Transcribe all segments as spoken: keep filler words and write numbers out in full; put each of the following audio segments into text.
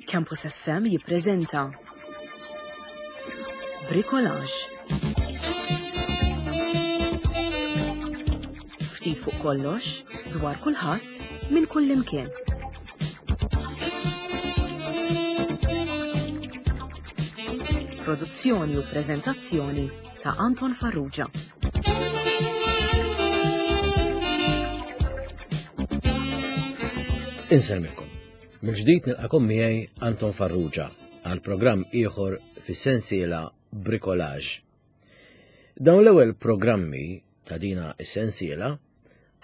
Campus F M jippreżenta Bricolage. Ftit fuq kollox, dwar kulħadd, minn kull imkien. Produzzjoni u preżentazzjoni ta' Anton Farrugia. Insellmilkom. Mill-ġdid nilqakom miegħi Anton Farrugia għal programm ieħor fis-sensiela Bricolage. Dawn l-ewwel programmi ta' dina is-sensiela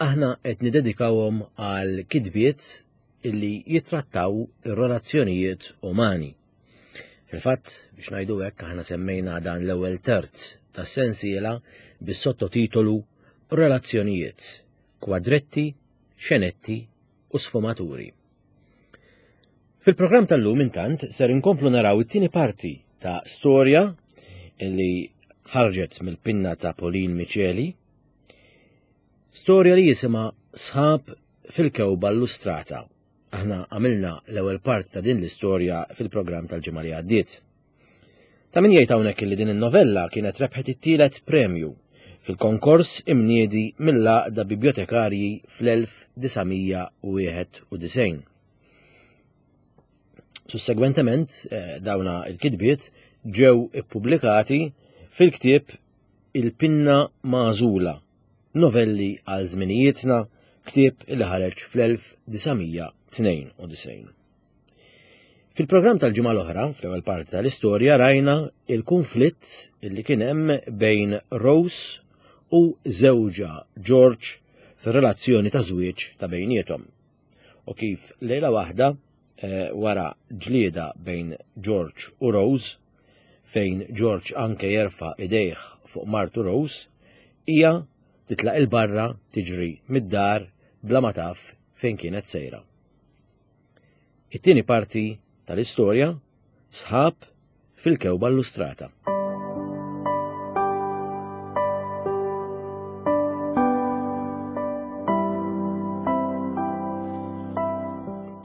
aħna qed nidedikawhom għal kitbiet illi jitrattaw ir-relazzjonijiet umani. Fil-fatt, biex ngħidu hekk, aħna semmejna dan l-ewwel terz tas-sensiela bis-sottotitolu Relazzjonijiet, kwadretti, xenetti u sfumaturi. Fil-programm tal-lum intant ser inkomplu naraw it-tieni parti ta' storja illi ħarġet mill-pinna ta' Pauline Miceli, storja li jisimha Sħab fil-Kewba Illustrata. Aħna għamilna l-ewwel parti ta' din l-istorja fil-programm tal-ġimgħa li għaddiet. Ta' min jgħid hawnhekk li din in-novella kienet rebħet it-tielet premju fil-konkors imniedi mill-Għaqda Bibliotekarji fl-elf disa' mija u wieħed u disgħin. Sussegwentement, eh, dawna il-kitbiet ġew ippubblikati fil-ktieb Il-Pinna Magħżula, novelli għal żminijietna, ktieb li ħareġ fl-elf disa' mija tnejn u disgħin. Fil-programm tal-ġimgħa l-oħra, fl-ewwel parti tal-istorja, rajna il-konflitt li kien hemm bejn Rose u żewġha George fir-relazzjoni ta' żwieġ ta' bejniethom. U kif lejla waħda, eh, wara ġlieda bejn George u Rose, fejn George anke jerfa' idejh fuq martu Rose, hija titlaq il-barra tiġri mid-dar bla ma taf fejn kienet sejra. It-tieni parti tal-istorja, Sħab fil-Kewba Illustrata.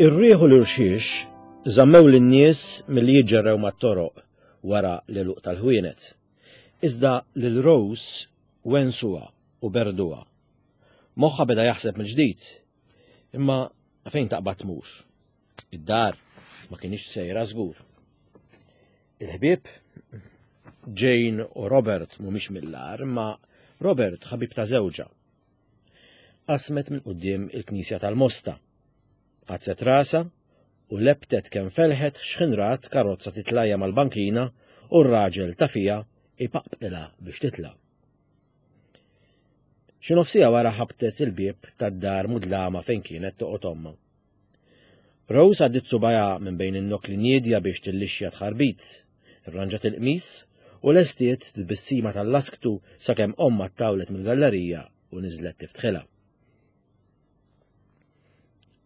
Ir-rieħ u l-irxiex żammew lin-nies milli jiġġerrew mat-toroq wara l-għeluq tal-ħwienet. Iżda lil Rose wensuha u berduha. Moħħha beda jaħseb mill-ġdid, imma fejn taqbad tmur? Id-dar ma kienx sejra żgur. Il-ħbieb Jane u Robert mhumiex mill-agħar, imma Robert ħabib ta' żewġha. Qasmet minn quddiem il-Knisja tal-Mosta. Qazzet rasa u lebtet kemm felħet x'ħin rat karozza titlajja mal-bankina u r-raġel ta' fija ipaqbqilha biex titla'. Xi nofsija wara ħabtet il-bieb tad-dar mudlama fejn kienet toqgħod ommha. Rose għaddiet subajha minn bejn in-nokli niedja biex tillixxa tħarbit, irranġat il-qmis u lestiet tbissima tal-lasktu sakemm ommha ttawlet mill-gallerija u niżlet tiftħilha.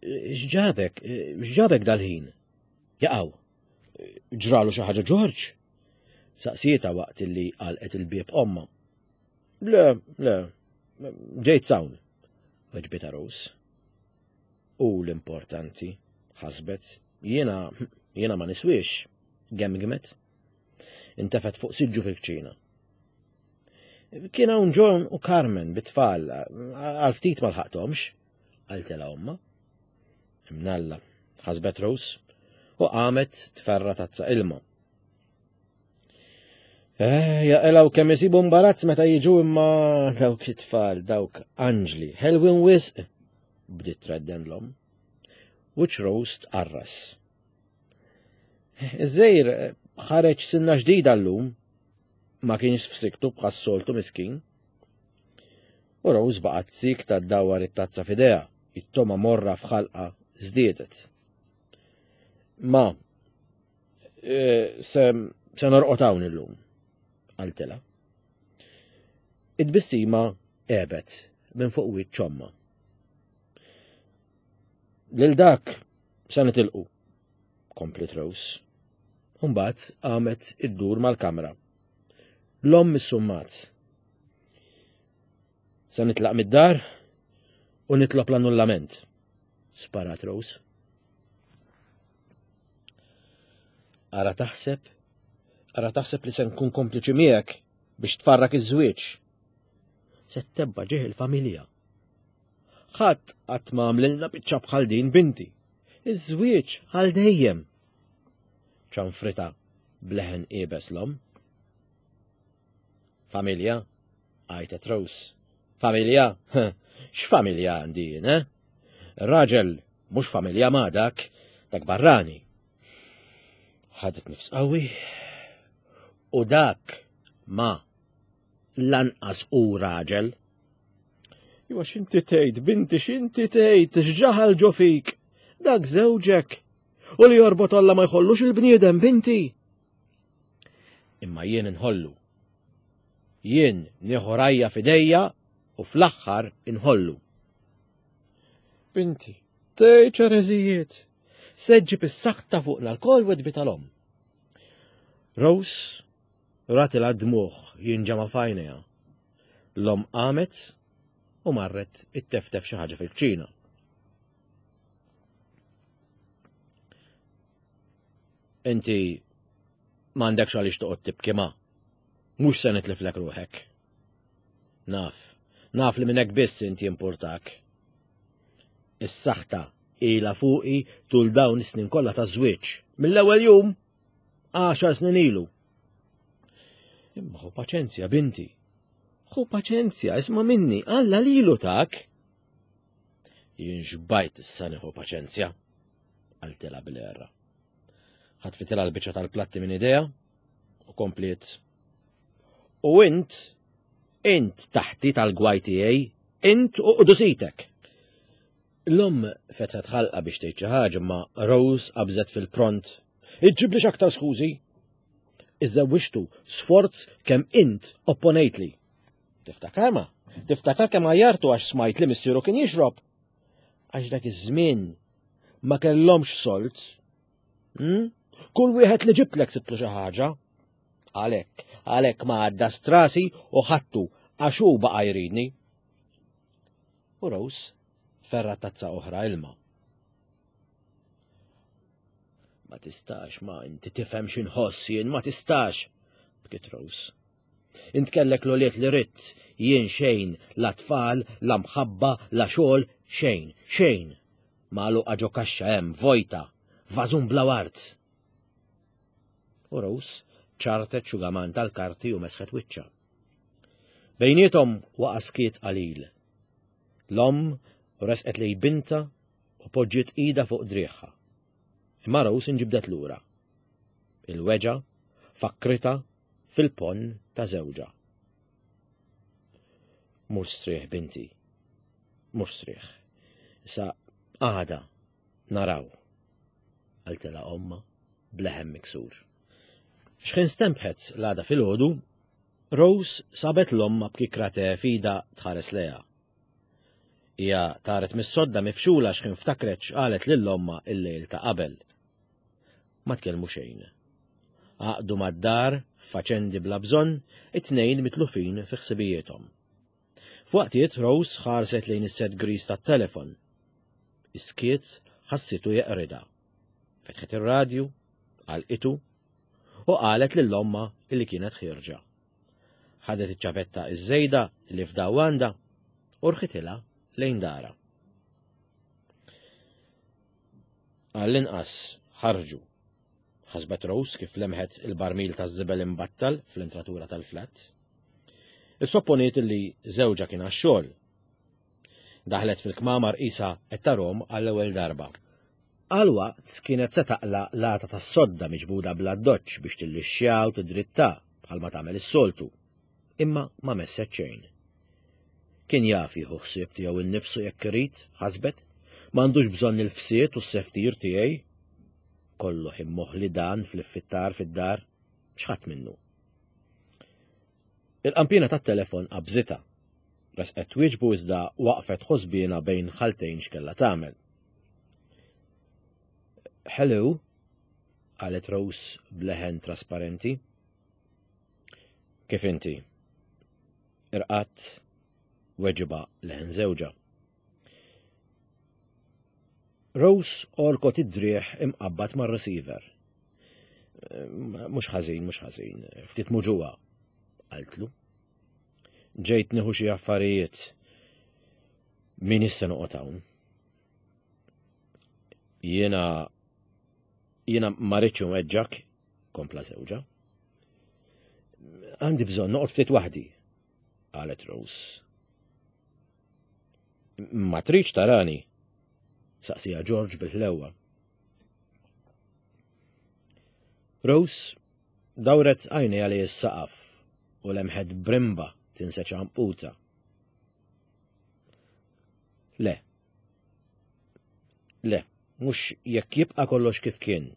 X'ġabek? X'ġabek dal-ħin? Jaqaw. Ġralu xi ħaġa George? Saqsietha waqt illi għalqet il-bieb ommha. Le, le, ġejt sawn, weġbitha Rose. U l-importanti, ħasbet, jiena, jiena ma niswiex, gemgmet. Intefet fuq siġġu fil-kċina. Kien hawn John u Carmen bit-tfal, għal ftit ma lħaqthomx, qaltilha ommha. Imnalla, ħasbet Rose, u qamet tferra tazza ilma. Eh, jaqilgħu kemm isibu imbarazz meta jiġu imma dawk it-tfal, dawk anġli, ħelwin wisq, bdiet tredden l-omm. Wiċċ Rose tqarras. Iż-żejr ħareġ sinna ġdida llum, ma kienx f'siktu bħas-soltu miskin. U Rose baqgħet sikta ddawwar it-tazza f'idejha, it-toma morra f'ħalqa żdiedet. Ma, eh, se, se norqod hawn illum, qaltilha. It-tbissima għebet minn fuq wiċċ ommha. Lil dak se nitilqu, komplet Rose. U mbagħad qamet iddur mal-kamra. L-omm issummat. Se nitlaq mid-dar u nitlob l-annullament, sparat Rose. Ara taħseb, ara taħseb li se nkun kompliċi miegħek biex tfarrak iż-żwieġ. Se tebba' ġieħ il-familja. Ħadd qatt ma għamlilna biċċa bħal din binti. Iż-żwieġ għal dejjem. Ċanfrita bleħen iebes l-omm. Familja, għajtet Rose. Familja? X'familja għandi jien, eh? Raġel mhux familja ma dak, dak barrani. Ħadet nifs qawwi. U dak ma lanqas u raġel. Iwa x'inti tgħid, binti x'inti tgħid, x'ġaħal ġo fik. Dak żewġek. U li jorbot Alla ma jħollux il-bniedem, binti. Imma jien inħollu. Jien nieħu rajja f'idejja u fl-aħħar inħollu. Binti, tgħid ereżijiet. Se ġġib is-saħta fuqna lkoll weġbitha l-omm. Rose ratilha d-dmugħ jinġema' f'għajnejha. L-omm qamet u marret itteftef xi ħaġa fil-kċina. Inti m'għandekx għaliex toqgħod tibki ma. Mhux se nitliflek ruħek. Naf, naf li minn hekk biss inti jimpurtak. Is-saħta ilha fuqi tul dawn is-snin kollha ta' żwieġ. Mill-ewwel jum, għaxar snin ilu. Imma ħu paċenzja, binti. Ħu paċenzja, isma' minni, Alla lilu tak. Jien xbajt issa nieħu paċenzja, qaltilha bil-għerra. Ħatfitilha l-biċċa tal-platti minn idejha u kompliet. U int, int taħti tal-gwaj tiegħi, int u qdusitek. L-omm fetħet ħalqa biex tgħid xi ħaġa ma Rose qabżet fil-pront. Iġġiblix aktar skużi. Iżżewwiġtu sforz kemm int opponejtli. Tiftakar ma? Tiftakar kemm għajjartu għax smajt li missieru kien jixrob? Għax dak iż-żmien ma kellhomx sold. Hmm? Kull wieħed li ġibtlek sibtlu xi ħaġa. Għalhekk, għalhekk ma għadda strasi u ħattu għax hu baqa' jridni. U Rose ferra tazza oħra ilma. Ma tistax, ma inti tifhem x'inħoss jien, ma tistax, bkiet Rose. Int kellek l-ulied li ridt, jien xejn, la tfal, la mħabba, la xogħol, xejn, xejn. Magħluqa ġo kaxxa hemm, vojta, vażun bla ward. U Rose ċartet xugaman tal-karti u mesħet wiċċha. Bejniethom waqa' skiet qalil. L-omm resqet lejn bintha u poġġiet idha fuq driegħha. Imma Rose inġibdet lura. Il-weġgħa fakkritha fil-ponn ta' żewġha. Mur strieħ binti, mur strieħ. Issa għada naraw, qaltilha ommha b'leħen miksur. X'ħin stempħet l-għada filgħodu, Rose sabet l-ommha b'kikra te f'idha tħares lejha. Hija taret mis-sodda mifxula x'ħin ftakret x'qalet lil ommha il-lejl ta' qabel. Ma tkellmu xejn. Għaqdu mad-dar f'faċendi bla bżonn, it-tnejn mitlufin fi ħsibijiethom. F'waqtiet Rose ħarset lejn is-set griż tat-telefon. Is-skiet ħassitu jeqridha. Fetħet ir-radju, għalqitu u qalet lil ommha li kienet ħierġa. Ħadet iċ-ċavetta iż-żejda li fdaw għandha u rħitilha lejn dara. Għall-inqas ħarġu. Ħasbet Rose kif lemħet il-barmil taż-żibel imbattal fl-entratura tal-flat. Issopponiet li żewġha kien għax-xogħol. Daħlet fil-kmamar qisha qed tarhom għall-ewwel darba. Għal waqt kienet se taqla' l-għata tas-sodda miġbuda bl-addoċċ biex tillixxja u tidritta bħalma tagħmel is-soltu. Imma ma messet xejn. Kien jaf jieħu ħsieb tiegħu innifsu jekk irid, ħasbet, m'għandux bżonn il-fsied u s-seftir tiegħi. Kollu ħin moħli dan fl-iffittar fid-dar, x'ħadd minnu. Il-qampina tat-telefon qabżitha. Resqet twieġbu iżda waqfet ħosbiena bejn ħaltejn x'kellha tagħmel. Hello, qalet Rose b'leħen trasparenti. Kif inti? Irqatt, weġiba leħen żewġha. Rose orkot id-driegħ imqabbad mar-receiver. Mhux ħażin, mhux ħażin, ftit muġugħa, qaltlu. Ġejt nieħu xi affarijiet. Min issa noqgħod hawn? Jiena jiena ma rridx inweġġak, kompla żewġha. Għandi bżonn noqgħod ftit waħdi, qalet Rose. Ma tridx tarani, saqsija George bil-ħlewwa. Rose dawret għajnejha lejn is-saqaf u lemħet brimba tinseġ għanquta. Le. Le, mhux jekk jibqa' kollox kif kien,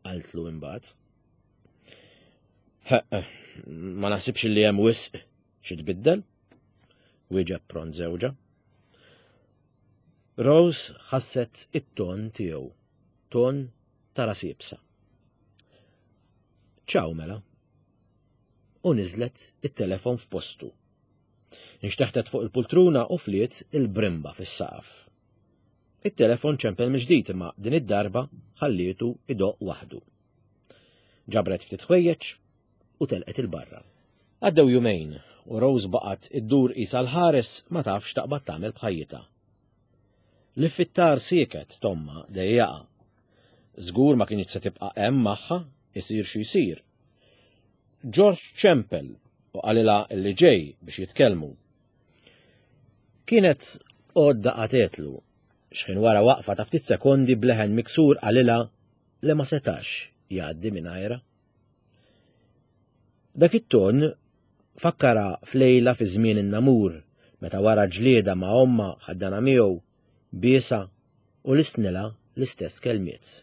qaltlu imbagħad. Ma naħsibx li hemm wisq xi tbiddel, wieġeb pront żewġha. Rose ħasset it-ton tiegħu, ton ta' ras iebsa. Ċaw mela. U niżlet it-telefon f'postu. Inxteħtet fuq il-pultruna u fliet il-brimba fis-saqaf. It-telefon ċempel mill-ġdid imma din id-darba ħallietu idoqq waħdu. Ġabret ftit ħwejjeġ u telqet il-barra. Għaddew jumejn u Rose baqgħet iddur qisha l-ħares ma tafx taqbad tagħmel b'ħajjitha. L-iffittar sieket t'ommha dejjaqha. Żgur ma kinitx se tibqa' hemm magħha isir xi jsir. George ċempel u qalilha li ġej biex jitkellmu. Kienet għodda qatetlu x'ħin wara waqfa ta' ftit sekondi bleħen miksur qalilha li ma setax jgħaddi mingħajrha. Dak it-ton fakkara f'lejla fi żmien in-namur meta wara ġlieda ma' ommha ħaddana miegħu biesa u listnilha l-istess kelmiet.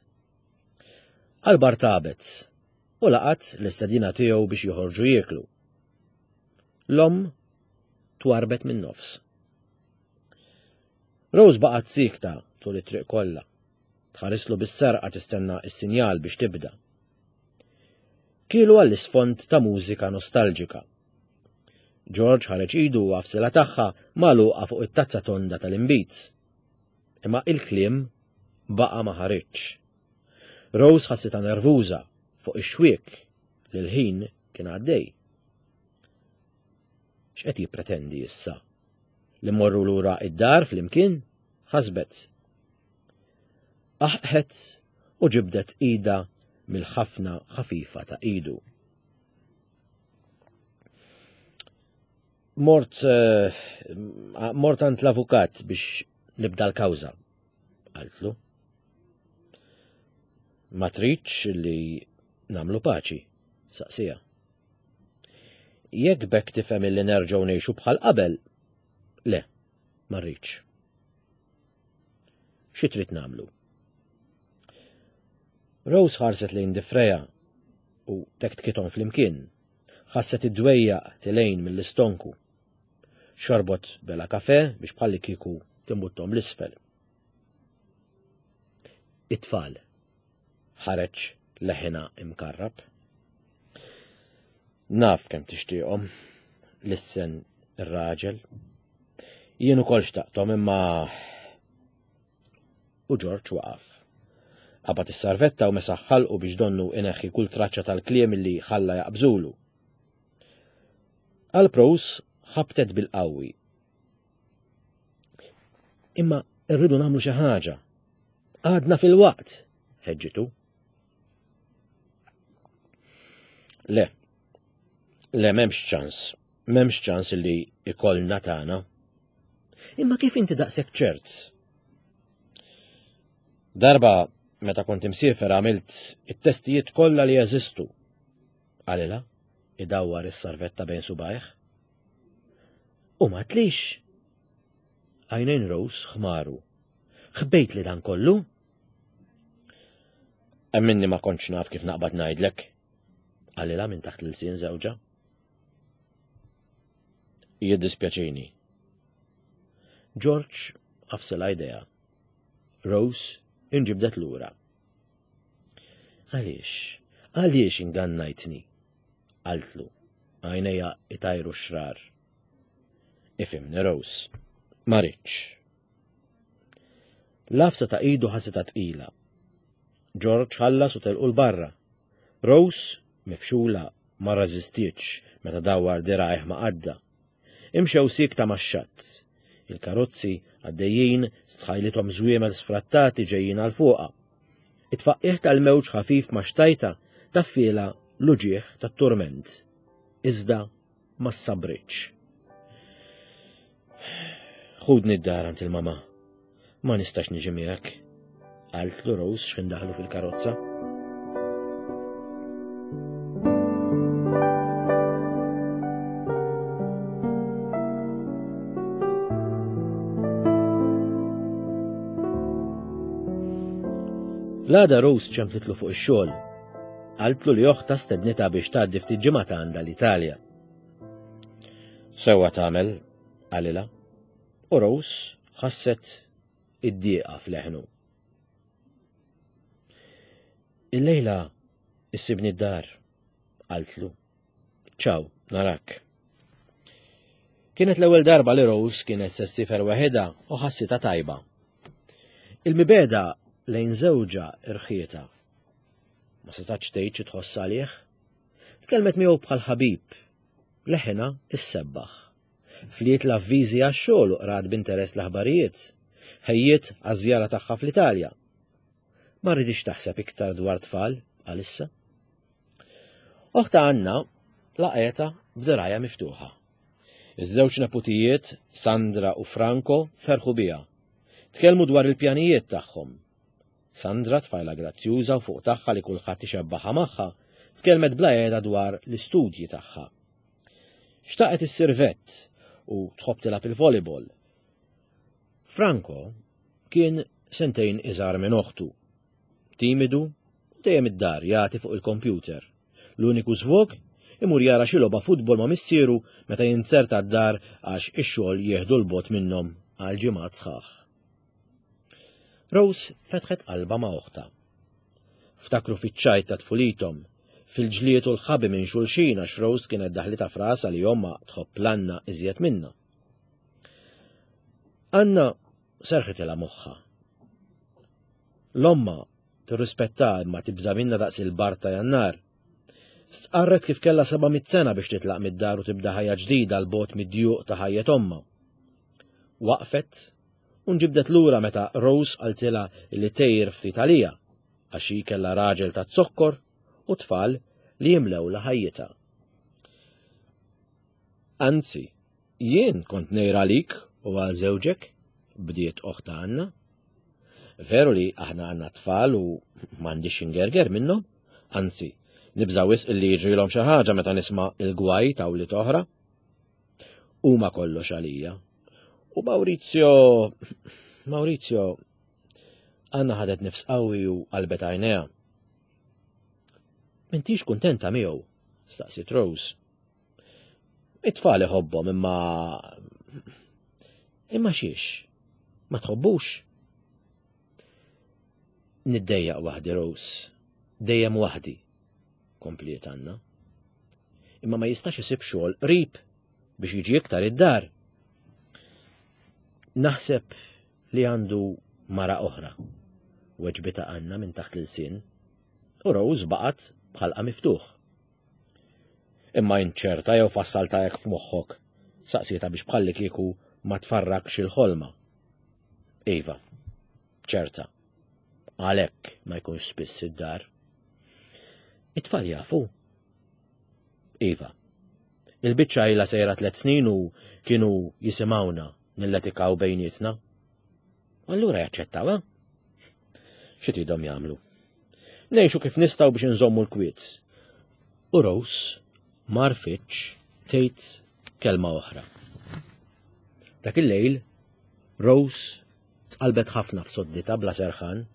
Qalbar tabet u laqat l-istedina tiegħu biex joħorġu jieklu. L-omm twarbet minn nofs. Rose baqgħet siekta tul it-triq kollha. Tħarislu bis-serqa tistenna s-sinjal biex tibda. Kielu għall-isfond ta' mużika nostalġika. George ħareġ idu u għafsilha tagħha magħluqa fuq it-tazza tonda tal-inbid. Imma il-kliem baqa' ma ħariġx. Rose ħassitha nervuża fuq ix-xwiek li l-ħin kien għaddej. X'qed jippretendi issa? Li mmorru lura id-dar flimkien? Ħasbet. Aħqet u ġibdet ida mill-ħafna ħafifa ta' idu. Mort uh, mort għand l-avukat biex nibda l-kawża, qaltlu. Ma tridx li nagħmlu paċi, saqsija. Jekk bekk tifhem li nerġgħu ngħixu bħal qabel, le, ma rridx. Xi trid nagħmlu? Rose ħarset lejn difreja u tektkithom flimkien. Ħasset id-dwejjaq tilejn mill-istonku. Xorbot bela kafe biex bħalli kieku timbuttom l-isfel. It-tfal. Ħareġ leħina imkarrab. Naf kemm tixtieqhom, lissen ir-raġel. Jien ukoll xtaqthom imma u George waqaf. Qabad is-sarvetta u mesaħ ħalqu biex donnu ineħħi kull traċċa tal-kliem li ħalla jaqbżulu. Għal Prose ħabtet bil-qawwi. Imma rridu nagħmlu xi ħaġa. Għadna fil-waqt, ħeġġitu. Le, le m'hemmx ċans, m'hemmx ċans li ikollna tagħna. Imma kif inti daqshekk ċert? Darba meta kont imsiefer għamilt it-testijiet kollha li jeżistu. Qalilha, idawwar is-sarvetta bejn subajh. U ma tlix. Għajnejn Rose ħmaru. Ħbejt li dan kollu? Emminni ma kontx naf kif naqbad ngħidlek. Qalilha minn taħt l-ilsien żewġha. Jiddispjaċini. George għafsilha idea. Rose inġibdet lura. Għaliex? Għaliex ingannajtni? Qaltlu, għajnejha itajru xrar. Ifhimni Rose, ma rridx. L-għafsa ta' idu ħassitha tqila. George ħallas u telqu l-barra. Rose, mifxula, ma rreżistietx meta dawwar dirgħajh ma' qaddha. Imxew siekta max-xatt. Il-karozzi għaddejjin stħajlithom żwiemel sfrattati ġejjin għal fuqha. It-tfaqqigħ tal-mewġ ħafif ma' xtajta taffielha l-uġigħ tat-turment. Iżda ma sabritx. Ħudni d-dar għand il-mama. Ma nistax niġi miegħek, qaltlu Rose x'ħin daħlu fil-karozza. L-għada Rose ċemplitlu fuq ix-xogħol. Qaltlu li oħtha stednitha biex tgħaddi ftit ġimgħat għandha l-Italja. Sewwa tagħmel, qalilha. U Rose ħasset id-dieqa f'leħnu. Illejla issibni d-dar, qaltlu. Ciao, narak. Kienet l-ewwel darba li Rose kienet se ssiefer waħedha u ħassitha tajba. Il-mibegħda lejn żewġha rħietha. Ma setax tgħid xi tħoss għalih. Tkellmet miegħu bħal ħabib. Leħinha issebbaħ. Fliet l-avviżi għax-xogħol u qrat b'interess l-aħbarijiet. Ħejjiet għaż-żjara tagħha fl-Italja. Ma rridix taħseb iktar dwar tfal għalissa. Oħtha Anna laqgħetha b'dirgħajha miftuħa. Iż-żewġ neputijiet, Sandra u Franco, ferħu biha. Tkellmu dwar il-pjanijiet tagħhom. Sandra, tfajla grazzjuża u fuq tagħha li kulħadd ixebbaħha magħha, tkellmet bla qiegħda dwar l-istudji tagħha. Xtaqet issir vet u tħobb tilgħab il-volleyball. Franco kien sentejn iżgħar minn oħtu. Timidu u dejjem id-dar jagħti fuq il-kompjuter. L-uniku żvog imur jara xi logħba futbol ma' missieru meta jinzerta d-dar għax ix-xogħol jieħdu 'l bogħod minnhom għal ġimgħat sħaħ. Rose fetħet qalbha ma' oħtha. Ftakru fiċ-ċajt ta' tfulithom, fil-ġlied u l-ħabi minn xulxin għax Rose kienet daħlitha f'rasha li ommha tħobb 'l Anna iżjed minnha. Anna serħitilha moħħha. L-omma tirrispetta imma tibża' minnha daqs il-bard ta' Jannar. Stqarret kif kellha seba' mitt sena biex titlaq mid-dar u tibda ħajja ġdida 'l bogħod mid-djuq ta' ħajjet ommha. Waqfet u nġibdet lura meta Rose qaltilha li tgħir ftit għalija għax hi kellha raġel ta' zokkor u tfal li jimlewlha ħajjitha. Anzi, jien kont ngħir għalik u għal żewġek, bdiet oħtha Anna. Veru li aħna għandna tfal u m'għandix ingerger minnhom, anzi, nibża' wisq illi jiġrilhom xi ħaġa meta nisma' il-gwaj ta' wlied oħra. Huma kollox għalija. U Maurizio, Maurizio, Anna ħadet nifs qawwi u qalbet għajnejha. M'intix kuntenta miegħu, staqsiet Rose. It-tfal iħobbhom imma imma xiex, ma tħobbux. Niddejjaq waħdi Rose, dejjem waħdi, kompliet Anna. Imma ma jistax isib xogħol qrib biex jiġi iktar id-dar. Naħseb li għandu mara oħra, weġbitha Anna minn taħt l-ilsien, u Rose baqgħet b'ħalqha miftuħ. Imma int ċerta jew fassalta hekk f'moħħok, saqsietha biex bħalli kieku ma tfarrakx il-ħolma. Iva, ċerta. Għalhekk ma jkunx spiss id-dar. It-tfal jafu. Iva. Il-biċċa ilha sejra tliet snin u kienu jisimgħuna nilletikaw bejnietna. Allura jaċċettaw, eh? Xi tridhom jagħmlu? Ngħixu kif nistgħu biex inżommu l-kwiet. U Rose ma għarfitx tgħid kelma oħra. Dak il-lejl, Rose tqalbet ħafna f'sodditha bla serħan.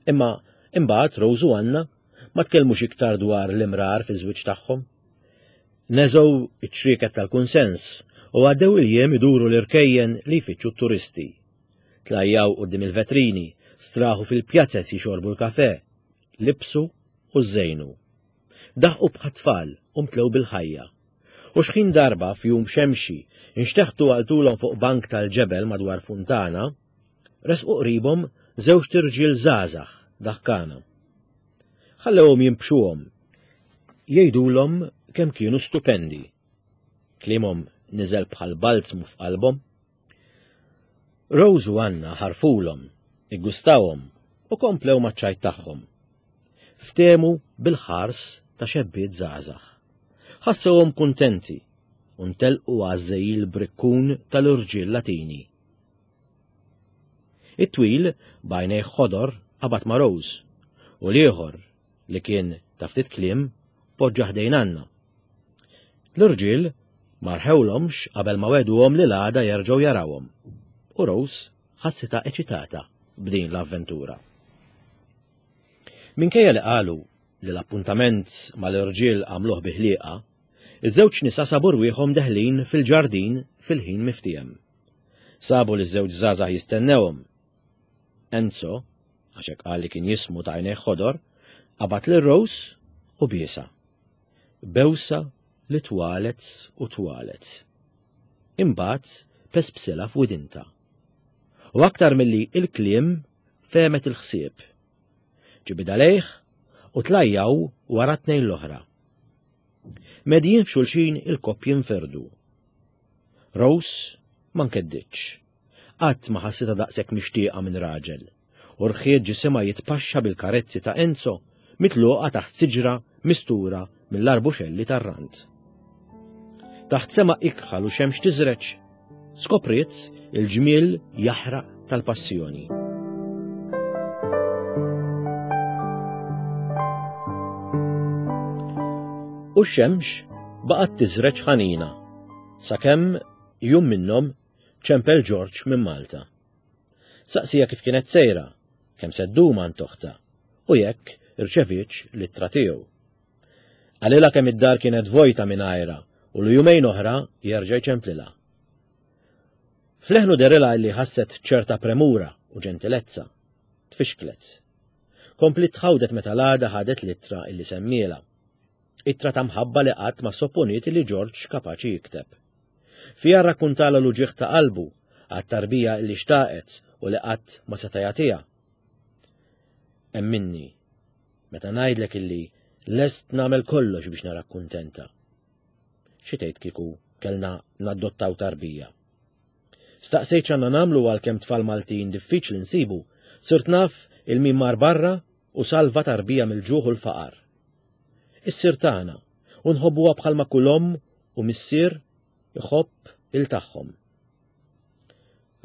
Imma imbagħad Rose u Anna ma tkellmux iktar dwar l-imrar fiż-żwieġ tagħhom. Neżgħu iċ-ċrieket tal-kunsens u għaddew il-jiem iduru l-irkejjen li jfittxu t-turisti. Tlajjaw quddiem il-vetrini, straħu fil-pjazzez jixorbu l-kafe, libsu u żejnu. Daħqu bħat-tfal u mtlew bil-ħajja. U xħin darba f'jum xemxi nxteħtu għal tulhom fuq bank tal-ġebel madwar funtana, resqu qribhom żewġt irġiel żgħażagħ daħkana. Ħallewhom jimbxuhom, jgħidulhom kemm kienu stupendi. Kliemhom niżel bħal balzmu f'qalbhom. Rose u Anna ħarfulhom, iggustawhom u komplew maċ-ċajt tagħhom. Ftehmu bil-ħars ta' xebbiet żgħażagħ. Ħassewhom kuntenti u ntelqu għażżejjil brikkun tal-irġiel Latini. It-twil b'għajnejh ħodor qabad ma' Rose u l-ieħor li kien ta' ftit kliem poġġa ħdejn Anna. L-irġiel ma rħewlhomx qabel ma wegħduhom li l-għada jerġgħu jarawhom. U Rose ħassitha eċitata b'din l-avventura. Minkejja li qalu li l-appuntament mal-irġiel għamluh bi ħlieqa, iż-żewġ nisa sabu rwieħhom deħlin fil-ġardin fil-ħin miftiem. Sabu li ż-żewġ żgħażagħ jistennewhom. Enzo, għax hekk qal li kien jismu ta' għajnejh ħodor, qabad lil Rose u biesha. Bewsa li twalet u twalet. Imbagħad pespsilha f'widinta. U aktar milli il-kliem fehmet il-ħsieb. Ġibidha lejh u tlajjaw wara tnejn l-oħra. Medjin f'xulxin il-koppji nferdu. Rose ma nkedditx. Qatt ma ħassitha daqshekk mixtieqa minn raġel. U rħiet ġisimha jitpaxxa bil-karezzi ta' Enzo mitluqa taħt siġra mistura mill-arbuxelli tar-rand. Taħt sema ikħal u xemx tiżreġ, skopriet il-ġmiel jaħraq tal-passjoni. U x-xemx baqgħet tiżreġ ħanina, sakemm jum minnhom ċempel George minn Malta. Saqsija kif kienet sejra, kemm se ddum għand toħta, u jekk irċevietx l-ittra tiegħu. Qalilha kemm id-dar kienet vojta minn għajra u li jumejn oħra jerġa' jċemplilha. Fleħnu derilha li ħasset ċerta premura u ġentilezza. Tfixklet. Komplit tħawdet meta l-għada ħadet l-ittra illi semmiela. Ittra ta' mħabba li qatt ma sopponiet li George kapaċi jikteb. Fiha rrakkuntala l-uġigħ ta' qalbu għat-tarbija illi xtaqet u li qatt ma seta' jagħtiha. Emminni, meta ngħidlek illi lest nagħmel kollox biex narak kuntenta. Xi tgħid kieku kellna nadottaw tarbija? Staqsejt x'għandna nagħmlu għalkemm tfal Maltin diffiċli nsibu, sirt naf il-min mar barra u salva tarbija mill-ġuħ u l-faqar. Issir tagħna u nħobbuha bħalma kull omm u missier iħobb il tagħhom.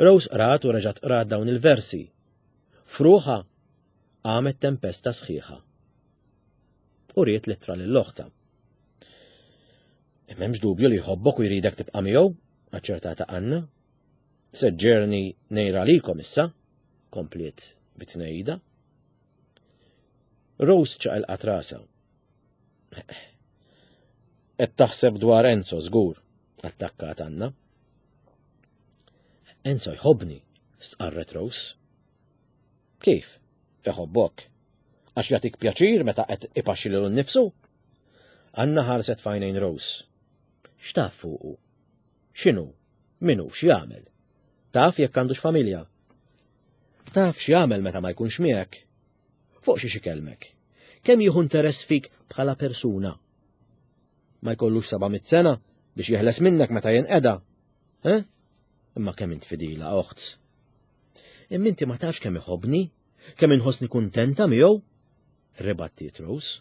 Rose qrat u reġgħet qrat dawn il-versi. F'ruħha qamet tempesta sħiħa. U riet l-ittra lil oħtha. M'hemmx dubju li jħobbok u jridek tibqa' miegħu, aċċertata Anna. Seġġerni nejra għalikom issa, kompliet bitnejda. Rose ċaqilqat rasha. Qed taħseb dwar Enzo żgur, attakkat Anna. Enzo jħobbni, stqarret Rose. Kif? Iħobbok? Għax jagħtik pjaċir meta qed ipaxxi lilu nnifsu? Anna ħarset f'għajnejn Rose. X'taf fuqu? X'inhu? Min hu? X'jagħmel? Taf jekk għandux familja? Taf x'jagħmel meta ma jkunx miegħek? Fuq xi ikellmek? Kemm jieħu interess fik bħala persuna? Ma jkollux seba' mitt sena biex jeħles minnek meta jinqeda. Eh? Imma kemm int fidila, oħt. Imma inti ma tafx kemm iħobbni, kemm inħossni kuntenta miegħu? Ribattiet Rose.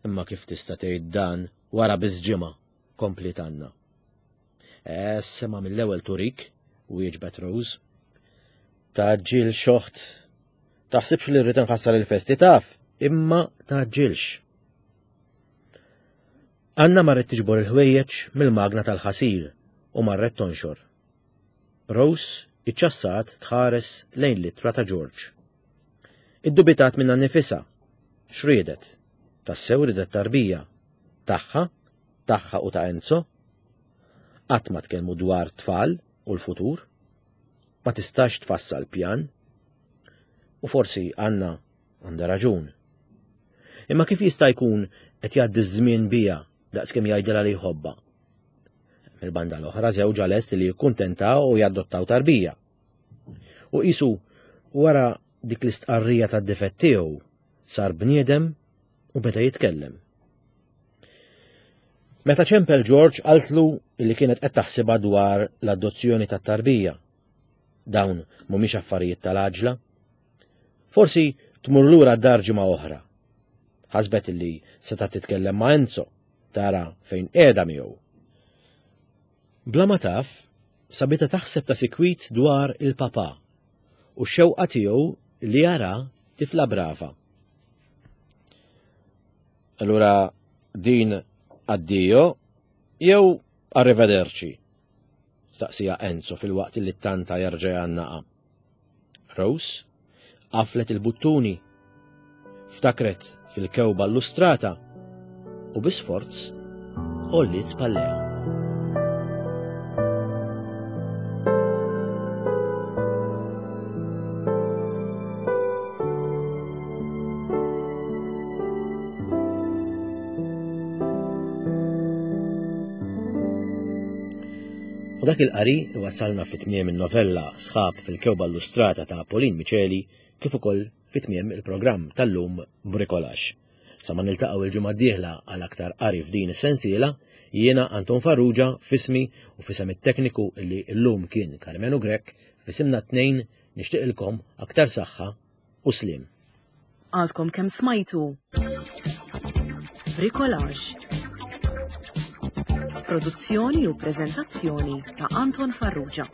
Imma kif tista' tgħid dan wara biss ġimgħa, kompliet Anna. Sema mill-ewwel turik, wieġbet Rose. Taġġilx oħt. Taħsibx li rrid nħassar il-festi taf, imma taġġilx. Anna marret tiġbor il-ħwejjeġ mill-magna tal-ħasil u marret tonxor. Rose iċċassat tħares lejn l-ittra ta' George. Iddubitat minnha nnifisha. X'riedet? Tassew ridet tarbija. Tagħha, tagħha u ta' Enzo. Qatt ma tkellmu dwar tfal u l-futur. Ma tistax tfassal pjan. U forsi Anna għandha raġun. Imma kif jista' jkun qed jgħaddi ż-żmien bija daqskemm jgħidilha li jħobbha? Mill-banda l-oħra żewġha lest li jikkuntentaw u jadottaw tarbija. U qisu wara dik l-istqarrija tad-difett tiegħu sar bniedem u beda jitkellem. Meta ċempel George qaltlu li kienet qed taħsibha dwar l-adozzjoni tat-tarbija. Dawn mhumiex affarijiet tal-għaġla. Forsi tmur lura d-dar ġimgħa oħra. Ħasbet li seta' titkellem ma' Enzo, tara fejn qiegħda miegħu. Bla ma taf, sabitha taħseb ta' sikwit dwar il-papa u x-xewqa tiegħu li jara tifla brava. Allura din addio jew arrivederci? Staqsija Enzo fil-waqt li tanta jerġa' jgħannaqa. Rose qaflet il-buttuni, ftakret fil-kewba illustrata u bi sforz għolliet spallejha. U dak il-qari wasalna fi tmiem il-novella Sħab fil-Kewba Illustrata ta' Pauline Miceli kif ukoll fi tmiem il-programm tal-lum Brikolax. Sa ma niltaqgħu il-ġimgħa d-dieħla għal aktar qari f'din is-sensiela, jiena Anton Farrugia f'ismi u f'isem it-tekniku li llum kien Karmenu Grech, f'isimna t-tnejn nixtieqilkom aktar saħħa u sliem. Għadkom kemm smajtu Bricolage. Produzzjoni u preżentazzjoni ta' Anton Farrugia.